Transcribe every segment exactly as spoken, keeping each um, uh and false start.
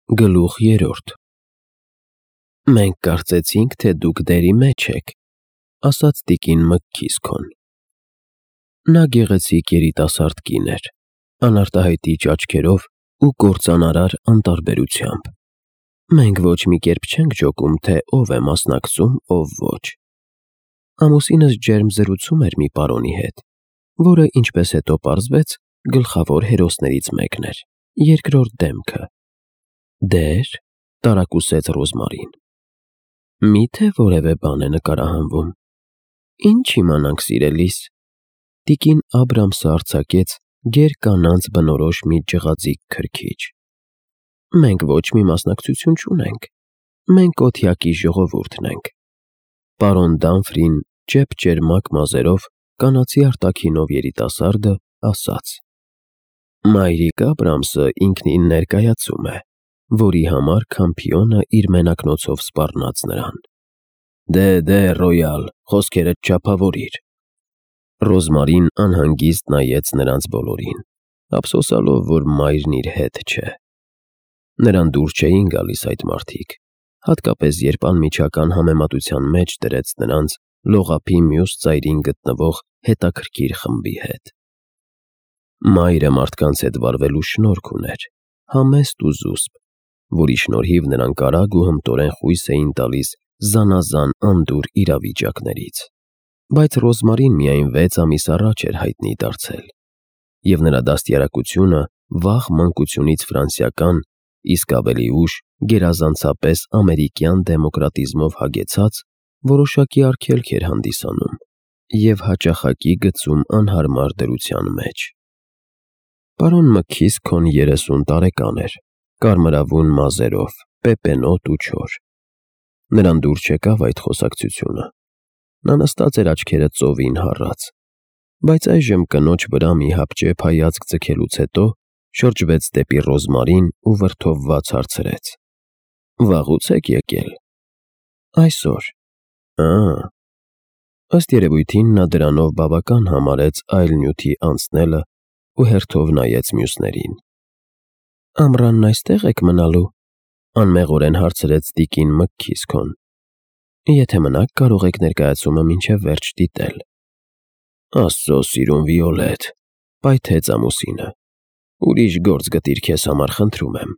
Գլուխ երրորդ Մենք կարծեցինք, թե դուք դերի մեջ եք, ասաց տիկին Մքքիսքոն։ Նա գեղեցիկ երիտասարդ կին էր, անարտահայտիչ աչքերով ու կործանարար անտարբերությամբ։ Մենք ոչ մի կերպ չենք ջոկում, թե ով է մասնակցում, ով ոչ։ Ամուսինս ջերմ զրուցում էր մի պարոնի հետ, որը, ինչպես հետո պարզվեց, գլխավոր հերոսներից մեկն էր, երկրորդ դեմքը։ Դեր, տարակուսեց Ռոզմարին։ Մի՞թե որևէ բան է նկարահանվում։ Ինչ իմանանք, սիրելիս։ Տիկին Աբրամսը արձակեց գեր կանանց բնորոշ մի ջղաձիգ քրքիջ։ Մենք ոչ մի մասնակցություն չունենք։ Մենք օթյակի ժողովուրդն ենք։ Պարոն Դամֆրին ճեպ-ճերմակ մազերով, կանացի արտաքինով երիտասարդը ասաց. Մայրիկ Աբրամսը ինքնին ներկայացում է, որի համար Քամփիոնը իր մենակնոցով սպառնաց նրան։ Դե, դե, Ռոյալ, խոսքերդ չափավորիր։ Ռոզմարին անհանգիստ նայեց նրանց բոլորին, ափսոսալով, որ մայրն իր հետ չէ։ Նրան դուր չէին գալիս այդ մարդիկ, հատկապես երբ անմիջական համեմատության մեջ դրեց նրանց լողափի մյուս ծայրին գտնվող հետաքրքիր խմբի հետ։ Մայրը մարդկանց հետ վարվելու շնորհք ուներ, համեստ ու զուսպ, որի շնորհիվ նրանք արագ ու հմտորեն խույս էին տալիս զանազան անդուր իրավիճակներից։ Բայց Ռոզմարին միայն վեց ամիս առաջ էր հայտնի դարձել, և նրա դաստիարակությունը վաղ մանկությունից ֆրանսիական, իսկ ավելի ուշ գերազանցապես ամերիկյան դեմոկրատիզմով հագեցած, որոշակի արգելք էր հանդիսանում և հաճախակի գցում անհարմար դրության մեջ։ Պարոն Մքքիսքոն երեսուն տարեկան էր, կարմրավուն մազերով, պեպենոտ ու չոր։ Նրան դուր չեկավ այդ խոսակցությունը։ Նա նստած էր աչքերը ծովին հառած, բայց այժմ կնոջ վրա մի հապճեպ հայացք ձգելուց հետո շրջվեց դեպի Ռոզմարին ու վրդովված հարցրեց. Վաղուց եք եկել։ Այսօր։ Ա՜։ Ըստ երևույթին նա դրանով բավական համարեց այլ նյութի անցնելը ու հերթով նայեց մյուսներին։ Ամռանն այստե՞ղ եք մնալու, անմեղորեն հարցրեց տիկին Մքքիսքոն։ Եթե մնաք, կարող եք ներկայացումը մինչև վերջ դիտել։ Աստծո սիրուն Վիոլետ, պայթեց ամուսինը։ Ուրիշ գործ գտիր քեզ համար, խնդրում եմ։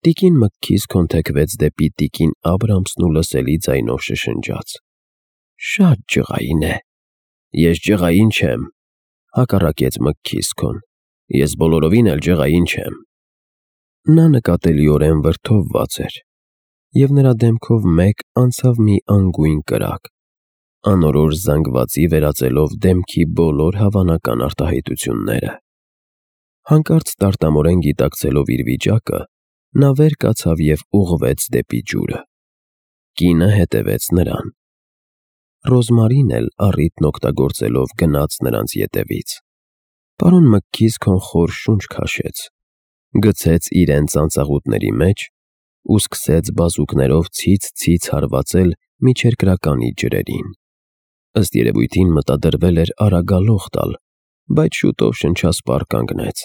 Տիկին Մքքիսքոն թեքվեց դեպի տիկին Աբրամսն ու լսելի ձայնով շշնջաց. Շատ ջղային է։ Ես ջղային չեմ, հակառակեց Մքքիսքոն։ Ես բոլորովին էլ ջղային չեմ։ Նա նկատելիորեն վրդովված էր, և նրա դեմքով մեկ անցավ մի անգույն կրակ, անորոշ զանգվածի վերածելով դեմքի բոլոր հավանական արտահայտությունները։ Հանկարծ տարտամորեն գիտակցելով իր վիճակը, նա վեր կացավ և ուղղվեց դեպի ջուրը։ Կինը հետևեց նրան։ Ռոզմարին էլ առիթն օգտագործելով գնաց նրանց ետևից։ Պարոն Մքքիսքոն խոր շունչ քաշեց, գցեց իրեն ծանծաղուտների մեջ ու սկսեց բազուկներով ցից-ցից հարվածել միջերկրականի ջրերին։ Ըստ երևույթին մտադրվել էր արագալող տալ, բայց շուտով շնչասպառ կանգնեց։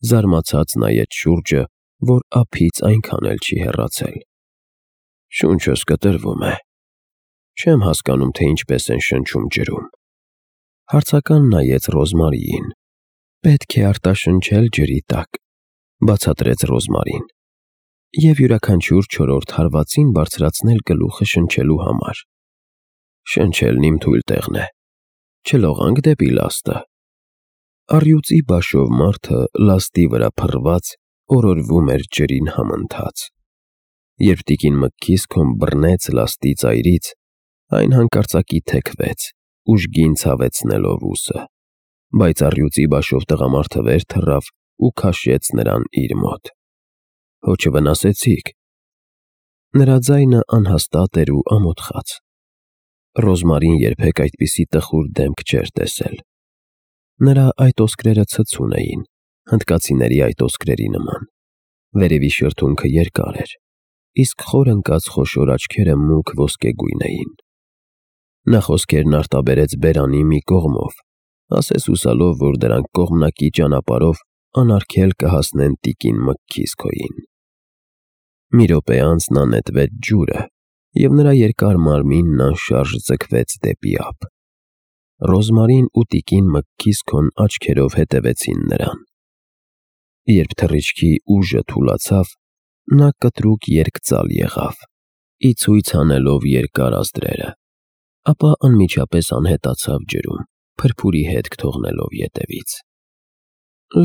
Զարմացած նայեց շուրջը, որ ափից այնքան էլ չի հեռացել։ Շունչս կտրվում է։ Չեմ հասկանում, թե ինչպես են շնչում ջրում։ Հարցական նայեց Ռոզմարիին։ Պետք է արտաշնչել ջրի տակ, բացատրեց Ռոզմարին, և յուրաքանչյուր չորրորդ հարվածին բարձրացնել գլուխը շնչելու համար։ Շնչելն իմ թույլ տեղն է։ Չլողանք դեպի լաստը։ Առյուծի բաշով մարդը լաստի վրա փռված օրորվում էր ջրին համընթաց։ Երբ տիկին Մքքիսքոն բռնեց լաստի ծայրից, այն հանկարծակի թեքվեց, ուժգին ցավեցնելով ուսը, բայց առյուծի բաշով տղամարդը վեր թռավ ու քաշեց նրան իր մոտ։ Հո չվնասեցի՞ք։ Նրա ձայնը անհաստատ էր ու ամոթխած։ Ռոզմարին երբեք այդպիսի տխուր դեմք չէր տեսել։ Նրա այտոսկրերը ցցուն էին, հնդկացիների այտոսկրերի նման, վերևի շրթունքը երկար էր, իսկ խոր ընկած խոշոր աչքերը մուգ ոսկեգույն էին։ Նա խոսքերն արտաբերեց բերանի մի կողմով, ասես հուսալով, որ դրանք կողմնակի ճանապարհով անարգել կհասնեն տիկին Մքքիսքոյին։ Մի րոպե անց նա նետվեց ջուրը, և նրա երկար մարմինն անշարժ ձգվեց դեպի ափ։ Ռոզմարին ու տիկին Մքքիսքոն աչքերով հետևեցին նրան։ Երբ թռիչքի ուժը թուլացավ, նա կտրուկ երկծալ եղավ, ի ցույց անելով երկար ազդրերը, ապա անմիջապես անհետացավ ջրում, փրփուրի հետք թողնելով ետևից։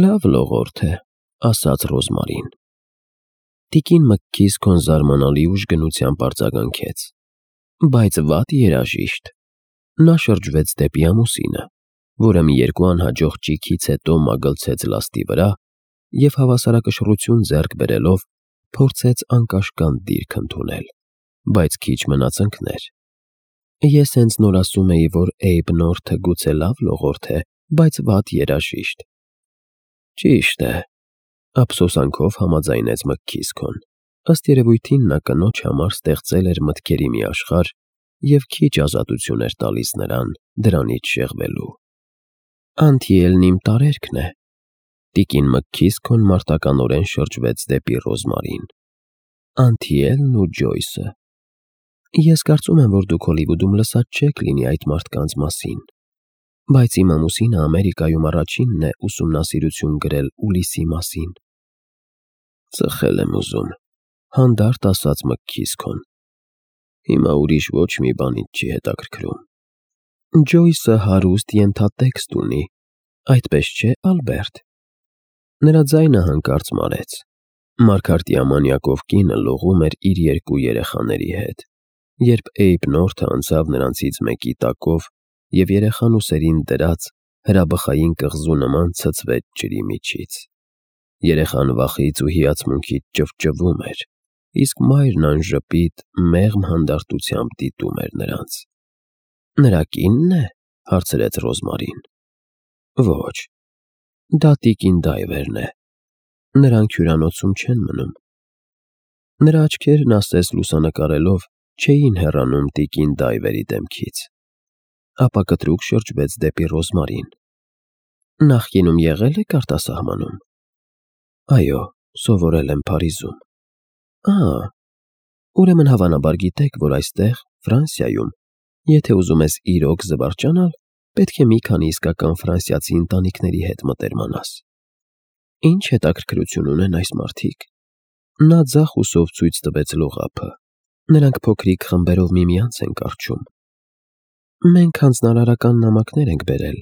«Լավ լողորդ է», ասաց Ռոզմարին։ Տիկին Մքքիսքոն զարմանալի ուժգնությամբ արձագանքեց. «Բայց վատ երաժիշտ»։ Նա շրջվեց դեպի ամուսինը, որը մի երկու անհաջող ճիգից հետո մագլցեց լաստի վրա և հավասարակշռություն ձեռք բերելով փորձեց անկաշկանդ դիրք ընդունել, բայց քիչ մնաց ընկներ։ «Ես հենց նոր ասում էի, որ Էյբ Նորթը գուցե լավ լողորդ է, բայց վատ երաժիշտ»։ «Ճիշտ է», ափսոսանքով համաձայնեց Մքքիսքոն։ Ըստ երևույթին նա կնոջ համար ստեղծել էր մտքերի մի աշխարհ և քիչ ազատություն էր տալիս նրան դրանից շեղվելու։ «Անթիելն իմ տարերքն է»։ Տիկին Մքքիսքոն մարտականորեն շրջվեց դեպի Ռոզմարին։ «Անթիելն ու Ջոյսը։ Ես կարծում եմ, որ դուք Հոլիվուդում լսած չեք լինի այդ մարդկանց մասին, բայց իմ ամուսինը Ամերիկայում առաջինն է ուսումնասիրություն գրել Ուլիսի մասին»։ «Ծխել եմ ուզում», հանդարտ ասաց Մքքիսքոն։ «Հիմա ուրիշ ոչ մի բան ինձ չի հետաքրքրում»։ «Ջոյսը հարուստ ենթատեքստ ունի, այդպես չէ, Ալբերտ»։ Նրա ձայնը հանկարծ մարեց։ Մարգարտի ամանյակով կինը լողում էր իր երկու երեխաների հետ, երբ Էյբ Նորթը անցավ նրանցից մեկի տակով և երեխան ուսերին դրած հրաբխային կղզու նման ցցվեց ջրի միջից։ Երեխան վախից ու հիացմունքից ճվճվում էր, իսկ մայրն անժպիտ, մեղմ հանդարտությամբ դիտում էր նրանց։ «Նրա կի՞նն է», հարցրեց Ռոզմարին։ «Ոչ, դա տիկին Դայվերն է։ Նրանք հյուրանոցում չեն մնում»։ Նրա աչքերն ասես լուսանկարելով չէին հեռանում տիկին Դայվերի դեմքից, ապա կտրուկ շրջվեց դեպի Ռոզմարին։ «Նախկինում եղե՞լ եք արտասահմանում»։ «Այո, սովորել եմ Փարիզում»։ «Ա՜, ուրեմն հավանաբար գիտեք, որ այստեղ, Ֆրանսիայում, եթե ուզում ես իրոք զվարճանալ, պետք է մի քանի իսկական ֆրանսիացի ընտանիքների հետ մտերմանաս։ Ինչ հետաքրքրություն ունեն այս մարդիկ»։ Նա ձախ ուսով ցույց տվեց լողափը։ «Նրանք փոքրիկ խմբերով միմյանց են կառչում։ Մենք հանձնարարական նամակներ ենք բերել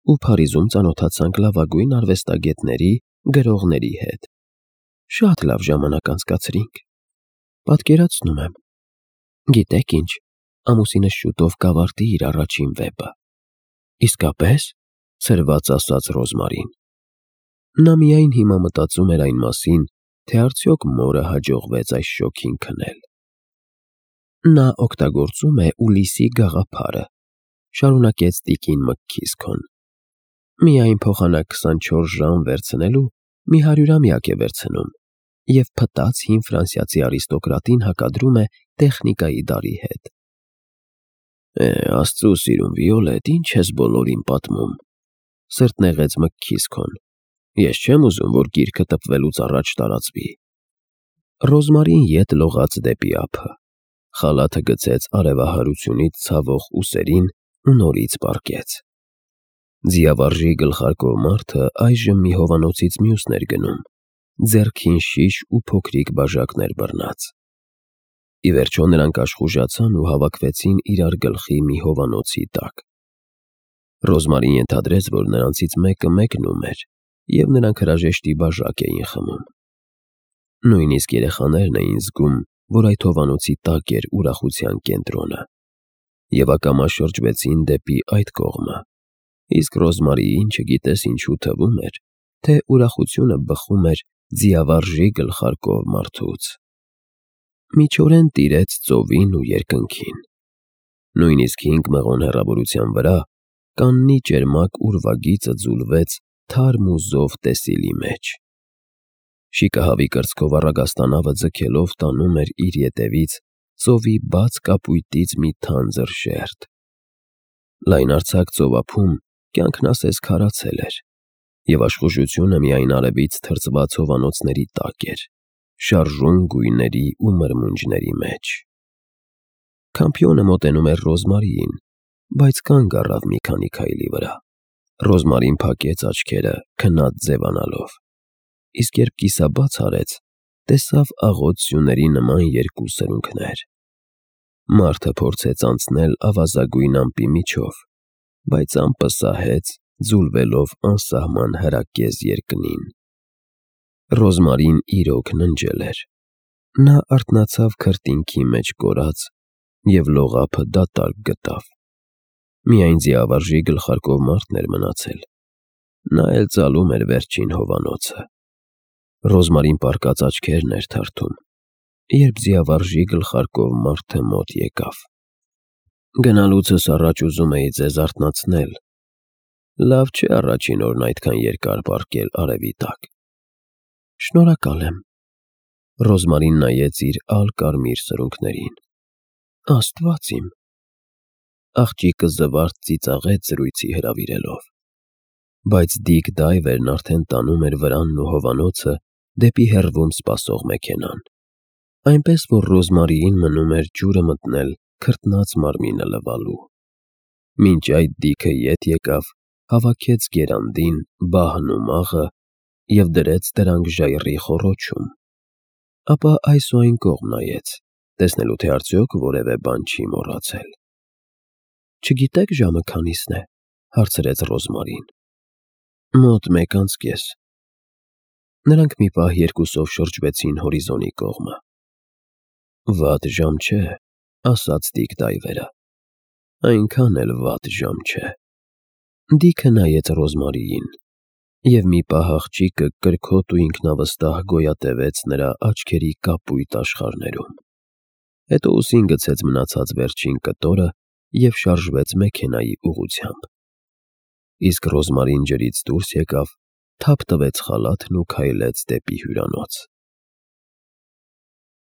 ու Փարիզում ծանոթացանք լավագույն արվեստագետների, գրողների հետ։ Շատ լավ ժամանակ անցկացրինք։ Պատկերացնում եմ։ Գիտեք ինչ, ամուսինս շուտով կավարտի իր առաջին վեպը»։ «Իսկապե՞ս», ցրված ասաց Ռոզմարին։ Նա միայն հիմա մտածում էր այն մասին, թե արդյոք մորը հաջողվեց այս շոգին քնել։ «Նա օգտագործում է Ուլիսի գաղափարը», շարունակեց տիկին Մքքիսքոն։ «Միայն փոխանակ քսանչորս ժամ վերցնելու մի հարյուրամյակ է վերցնում և փտած հին ֆրանսիացի արիստոկրատին հակադրում է տեխնիկայի դարի հետ»։ «Է, Աստծու սիրուն, Վիոլետ, ինչ ես բոլորին պատմում», սրտնեղեց Մքքիսքոն։ «Ես չեմ ուզում, որ գիրքը տպվելուց առաջ տարածվի»։ Ռոզմարին ետ լողաց դեպի ափը, խալաթը գցեց արևահարությունից ցավող ուսերին ու նորից պառկեց։ Ձիավարժի գլխարկով մարդը այժմ մի հովանոցից մյուսն էր գնում, ձեռքին շիշ ու փոքրիկ բաժակներ բռնած։ Ի վերջո նրանք աշխուժացան ու հավաքվեցին իրար գլխի մի հովանոցի տակ։ Ռոզմարին ենթադրեց, որ նրանցից մեկը մեկնում էր, և նրանք հրաժեշտի բաժակ էին խմում։ Նույնիսկ երեխաներն էին զգում, որ այդ հովանոցի տակ էր ուրախության կենտրոնը, և ակամա շրջվեցին դեպի այդ կողմը, իսկ Ռոզմարիին չգիտես ինչու թվում էր, թե ուրախությունը բխում էր ձիավարժի գլխարկով մարդուց։ Միջորեն տիրեց ծովին ու երկնքին։ Նույնիսկ հինգ մղոն հեռավորության վրա կաննի ճերմակ ուրվագիծը ձուլվեց թարմ ու զով տեսիլի մեջ։ Շիկահավի կրծքով առագաստանավը ձգելով տանում էր իր ետևից ծովի բաց կապույտից մի թանձր շերտ։ Լայնարձակ ծովափում կյանքն ասես քարացել էր, և աշխուժությունը միայն արևից թրծված հովանոցների տակ էր, շարժուն գույների ու մրմունջների մեջ։ Քամփիոնը մոտենում էր Ռոզմարիին, բայց կանգ առավ մի քանի քայլի վրա։ Ռոզմարին փակեց աչքերը, քնած ձևանալով, իսկ երբ կիսաբաց արեց, տեսավ աղոտ սյուների նման երկու սրունքներ։ Մարդը փորձեց անցնել ավազագույն ամպի միջով, բայց ամպը սահեց, ձուլվելով անսահման հրակեզ երկնին։ Ռոզմարին իրոք ննջել էր։ Նա արթնացավ քրտինքի մեջ կորած և լողափը դատարկ գտավ։ Միայն ձիավարժի գլխարկով մարդն էր մնացել։ Նա էլ ծալում էր վերջին հովանոցը։ Ռոզմարին պառկած աչքերն էր թարթում, երբ ձիավարժի գլխարկով մարդը մոտ եկավ։ «Գնալուցս առաջ ուզում էի ձեզ արթնացնել։ Լավ չէ առաջին օրն այդքան երկար պառկել արևի տակ»։ «Շնորհակալ եմ»։ Ռոզմարին նայեց իր ալ-կարմիր սրունքներին։ «Աստված իմ»։ Աղջիկը զվարթ ծիծաղեց զրույցի հրավիրելով։ Բայց Դիկ Դայվերն արդեն տանում էր վրանն ու հովանոցը դեպի հեռվում սպասող մեքենան, այնպես որ Ռոզմարիին մնում էր ջուրը մտնել քրտնած մարմինը լվալու։ Մինչ այդ Դիքը ետ եկավ, հավաքեց գերանդին, բահն ու մաղը և դրեց դրանք ժայռի խոռոչում, ապա այս ու այն կողմ նայեց, տեսնելու թե արդյոք որևէ բան չի մոռացել։ «Չգիտե՞ք ժամը քանիսն է», հարցրեց Ռոզմարին։ «Մոտ մեկ անց կես»։ Նրանք մի պահ երկուսով շրջվեցին հորիզոնի կողմը։ «Վատ ժամ չէ», ասաց Դիկ Դայվերը։ «Այնքան էլ վատ ժամ չէ»։ Դիքը նայեց Ռոզմարիին, և մի պահ աղջիկը կրքոտ ու ինքնավստահ գոյատևեց նրա աչքերի կապույտ աշխարհներում։ Հետո ուսին գցեց մնացած վերջին կտորը և շարժվեց մեքենայի ուղղությամբ։ Իսկ Ռոզմարին ջրից դուրս եկավ, թափ տվեց խալաթն ու քայլեց դեպի հյուրանոց։